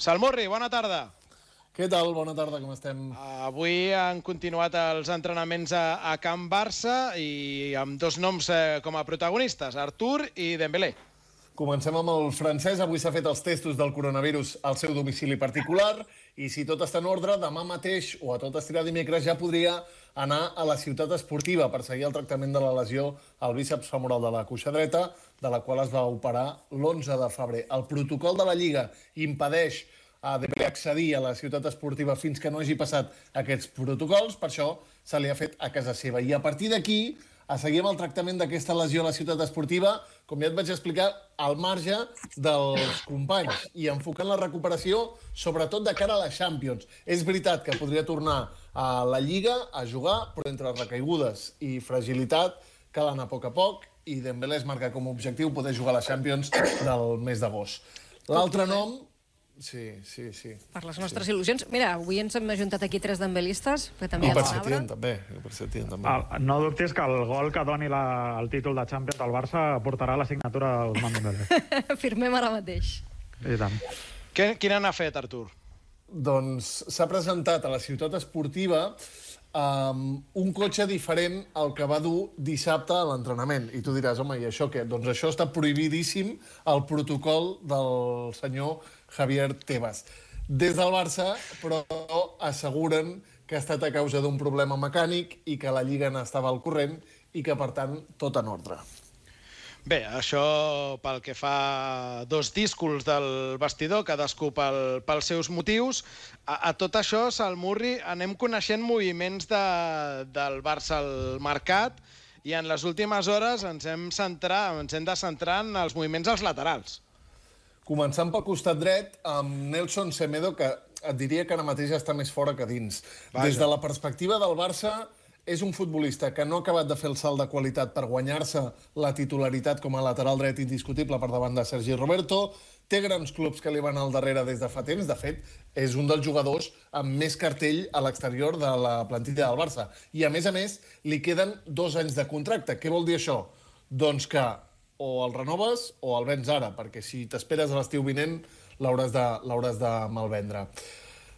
Salmurri, bona tarda. Què tal? Bona tarda, com estem? Avui han continuat els entrenaments a Can Barça i amb dos noms com a protagonistes, Artur i Dembélé. Comencem amb el francès. Avui s'ha fet els testos del coronavirus al seu domicili particular i si tot està en ordre, demà mateix o a tot estirar dimecres ja podria anar a la ciutat esportiva per seguir el tractament de la lesió al bíceps femoral de la cuixa dreta, de la qual es va operar l'11 de febrer. El protocol de la Lliga impedeix a Dembélé accedir a la ciutat esportiva fins que no hagi passat aquests protocols, per això se li ha fet a casa seva. I a partir d'aquí, a seguir amb el tractament d'aquesta lesió a la ciutat esportiva, com ja et vaig explicar, al marge dels companys i enfocant la recuperació, sobretot de cara a la Champions. És veritat que podria tornar a la Lliga a jugar, però entre recaigudes i fragilitat cal anar a poc i Dembélé es marca com a objectiu poder jugar a la Champions del mes d'agost. L'altre nom... Sí. Per les nostres il·lusions. Mira, avui ens hem ajuntat aquí 3 dembelistes, que també hi ha Setien, també. No dubtis que el gol que doni el títol de Champions del Barça portarà la signatura d'Ousmane Dembélé. Firmem ara mateix. I tant. Quina n'ha fet, Artur? Doncs s'ha presentat a la ciutat esportiva un cotxe diferent al que va dur dissabte a l'entrenament. I tu diràs, home, i això què? Doncs això està prohibidíssim al protocol del senyor Javier Tebas. Des del Barça, però asseguren que ha estat a causa d'un problema mecànic i que la Lliga n'estava al corrent i que, per tant, tot en ordre. Bé, això pel que fa a dos díscols del vestidor, cadascú pels seus motius. A tot això, Salmurri, anem coneixent moviments del Barça al mercat i en les últimes hores ens hem de centrar en els moviments als laterals. Començant pel costat dret, amb Nelson Semedo, que et diria que ara mateix està més fora que dins. Des de la perspectiva del Barça, és un futbolista que no ha acabat de fer el salt de qualitat per guanyar-se la titularitat com a lateral dret indiscutible per davant de Sergi Roberto. Té grans clubs que li van al darrere des de fa temps. De fet, és un dels jugadors amb més cartell a l'exterior de la plantilla del Barça. I, a més, li queden 2 anys de contracte. Què vol dir això? Doncs que o el renoves o el vens ara, perquè si t'esperes a l'estiu vinent l'hauràs de malvendre.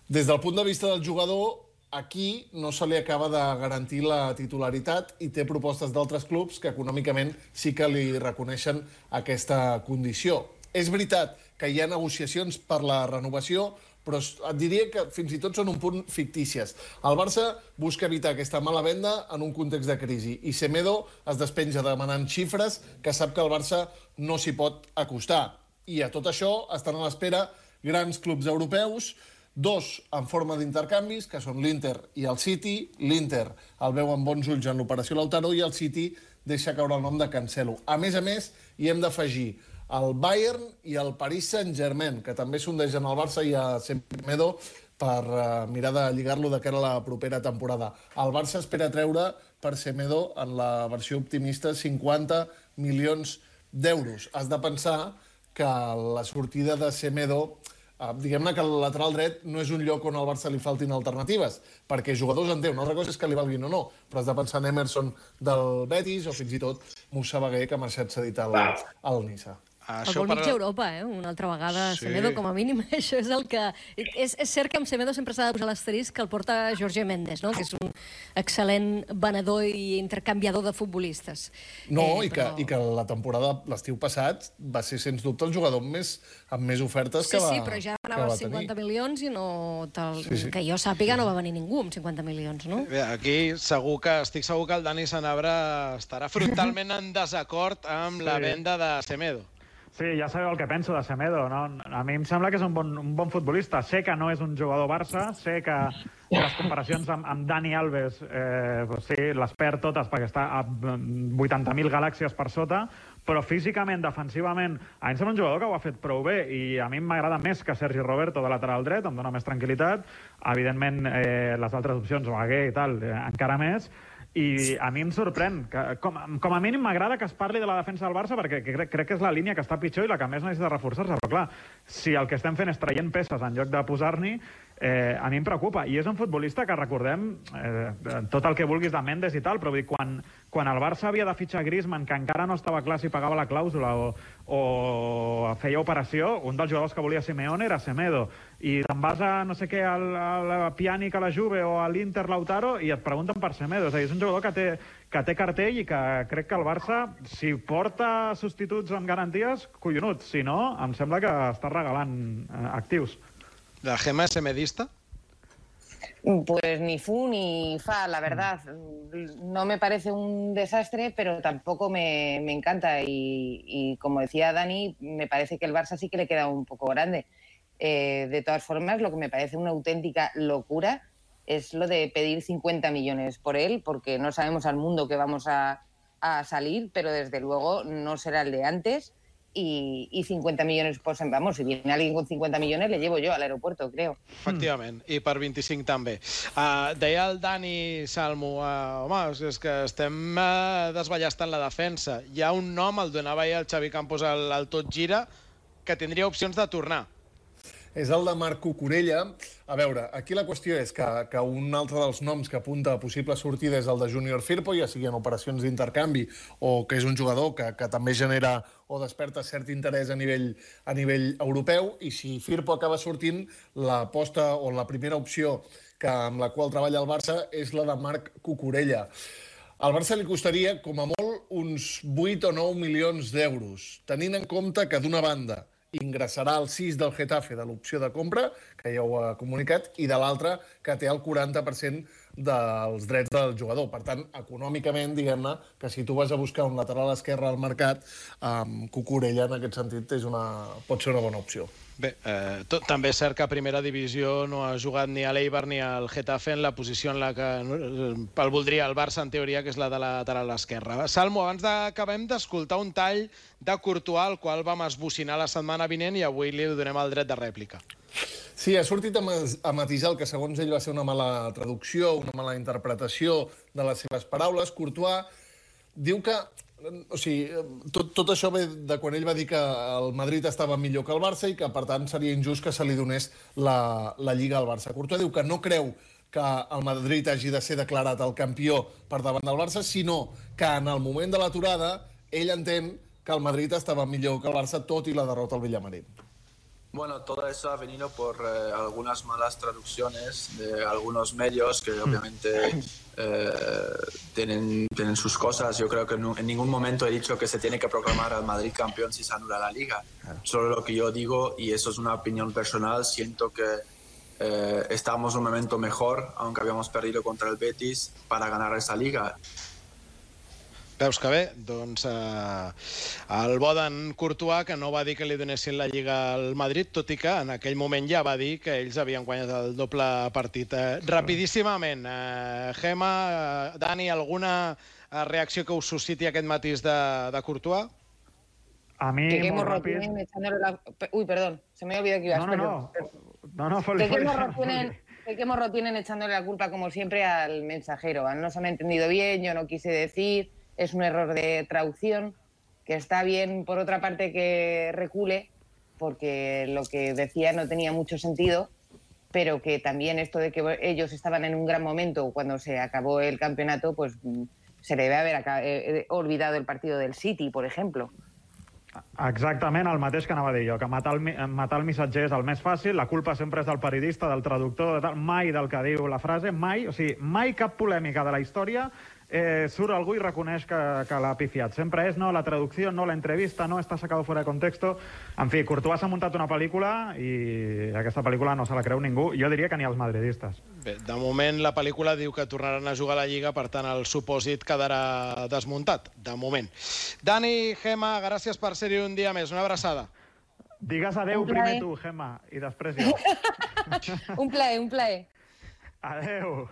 Des del punt de vista del jugador, aquí no se li acaba de garantir la titularitat i té propostes d'altres clubs que econòmicament sí que li reconeixen aquesta condició. És veritat que hi ha negociacions per la renovació, però et diria que fins i tot són un punt fictícies. El Barça busca evitar aquesta mala venda en un context de crisi i Semedo es despenja demanant xifres que sap que el Barça no s'hi pot acostar. I a tot això estan a l'espera grans clubs europeus, 2 en forma d'intercanvis, que són l'Inter i el City. L'Inter el veu amb bons ulls en l'operació Lautaro i el City deixa caure el nom de Cancelo. A més, hi hem d'afegir el Bayern i el Paris Saint-Germain, que també sondegen al Barça i a Semedo per mirar de lligar-lo de cara a la propera temporada. El Barça espera treure per Semedo, en la versió optimista, 50 milions d'euros. Has de pensar que la sortida de Semedo, diguem-ne que el lateral dret no és un lloc on al Barça li faltin alternatives, perquè jugadors en té. Una altra cosa és que li valguin o no, però has de pensar en Emerson del Betis o fins i tot Moussa Bagué, que ha marxat cedit al Niça. El vol mig d'Europa, una altra vegada. Sí. Semedo, com a mínim, això és el que... És cert que amb Semedo sempre s'ha de posar l'asterisc que el porta Jorge Mendes, no? Que és un excel·lent venedor i intercanviador de futbolistes. No, i que la temporada, l'estiu passat, va ser, sens dubte, el jugador amb més ofertes que va tenir. Sí, però ja anava als 50 milions i no... Que jo sàpiga no va venir ningú amb 50 milions, no? Bé, aquí estic segur que el Dani Sanabra estarà frontalment en desacord amb la venda de Semedo. Sí, ja sabeu el que penso de Semedo, no? A mi em sembla que és un bon futbolista. Sé que no és un jugador Barça, sé que les comparacions amb Dani Alves les perd totes perquè està a 80.000 galàxies per sota, però físicament, defensivament, a mi em sembla un jugador que ho ha fet prou bé i a mi m'agrada més que Sergi Roberto de lateral dret, em dona més tranquil·litat. Evidentment, les altres opcions, Bagué i tal, encara més. I a mi em sorprèn. Com a mínim m'agrada que es parli de la defensa del Barça perquè crec que és la línia que està pitjor i la que més necessita reforçar-se. Però clar, si el que estem fent és traient peces en lloc de posar-n'hi, a mi em preocupa. I és un futbolista que recordem tot el que vulguis de Mendes i tal, però vull dir, quan el Barça havia de fitxar Griezmann, que encara no estava clar si pagava la clàusula o feia operació, un dels jugadors que volia Simeone era Semedo. I te'n vas a no sé què, al Pjanic a la Juve o a l'Inter Lautaro i et pregunten per Semedo. És a dir, és un jugador que té cartell i que crec que el Barça, si porta substituts amb garanties, collonut. Si no, em sembla que està regalant actius. La Gemma és semedista? Pues ni fu ni fa, la verdad. No me parece un desastre, pero tampoco me encanta. Y como decía Dani, me parece que el Barça sí que le queda un poco grande. De todas formas, lo que me parece una auténtica locura es lo de pedir 50 millones por él, porque no sabemos al mundo que vamos a salir, pero desde luego no será el de antes. Y 50 millones, pues, vamos, si viene alguien con 50 millones, le llevo yo al aeropuerto, creo. Efectivament, i per 25 també. Deia el Dani Salmo, home, és que estem desballestant la defensa. Hi ha un nom, el donava ahir el Xavi Campos al Tot Gira, que tindria opcions de tornar. És el de Marc Cucurella. A veure, aquí la qüestió és que un altre dels noms que apunta a possible sortida és el de Junior Firpo, ja sigui en operacions d'intercanvi o que és un jugador que també genera o desperta cert interès a nivell europeu, i si Firpo acaba sortint, l'aposta o la primera opció amb la qual treballa el Barça és la de Marc Cucurella. Al Barça li costaria, com a molt, uns 8 o 9 milions d'euros, tenint en compte que, d'una banda, ingressarà el 6 del Getafe de l'opció de compra, que ja ho ha comunicat, i de l'altra que té el 40% dels drets del jugador. Per tant, econòmicament, diguem-ne, que si tu vas a buscar un lateral esquerre al mercat, Cucurella, en aquest sentit, pot ser una bona opció. Bé, també és cert que a primera divisió no ha jugat ni a l'Eibar ni al Getafe en la posició en la que el voldria el Barça, en teoria, que és la de lateral esquerra. Salmo, abans acabem d'escoltar un tall de Courtois, el qual vam esbocinar la setmana vinent i avui li donem el dret de rèplica. Sí, ha sortit a matisar el que segons ell va ser una mala traducció, una mala interpretació de les seves paraules. Courtois diu que... O sigui, tot això ve de quan ell va dir que el Madrid estava millor que el Barça i que, per tant, seria injust que se li donés la Lliga al Barça. Courtois diu que no creu que el Madrid hagi de ser declarat el campió per davant del Barça, sinó que en el moment de l'aturada ell entén que el Madrid estava millor que el Barça, tot i la derrota al Villamarín. Bueno, todo eso ha venido por algunas malas traducciones de algunos medios que obviamente tienen sus cosas. Yo creo que en ningún momento he dicho que se tiene que proclamar al Madrid campeón si se anula la Liga. Solo lo que yo digo, y eso es una opinión personal, siento que estamos en un momento mejor, aunque habíamos perdido contra el Betis, para ganar esa Liga. Veus que bé? Doncs el bo d'en Courtois, que no va dir que li donessin la Lliga al Madrid, tot i que en aquell moment ja va dir que ells havien guanyat el doble partit. Rapidíssimament, Gemma, Dani, alguna reacció que us susciti aquest matís de Courtois? A mi, molt ràpid... Uy, perdón, se me ha olvidado que ibas. ¿De qué morro tienen echándole la culpa, como siempre, al mensajero? No se me ha entendido bien, yo no quise decir... Es un error de traducción, que está bien, por otra parte, que recule, porque lo que decía no tenía mucho sentido, pero que también esto de que ellos estaban en un gran momento cuando se acabó el campeonato, pues se debe haber olvidado el partido del City, por ejemplo. Exactament el mateix que anava a dir jo, que matar el missatger és el més fàcil, la culpa sempre és del periodista, del traductor, mai del que diu la frase, mai, o sigui, mai cap polèmica de la història surt algú i reconeix que l'ha pifiat. Sempre és, no, la traducció, no, la entrevista, no, està sacado fuera de contexto. En fi, Courtois s'ha muntat una pel·lícula i aquesta pel·lícula no se la creu ningú. Jo diria que ni els madridistes. Bé, de moment la pel·lícula diu que tornaran a jugar a la Lliga, per tant el supòsit quedarà desmuntat, de moment. Dani, Gemma, gràcies per ser-hi un dia més. Una abraçada. Digues adeu primer tu, Gemma, i després jo. Un plaer, un plaer. Adeu.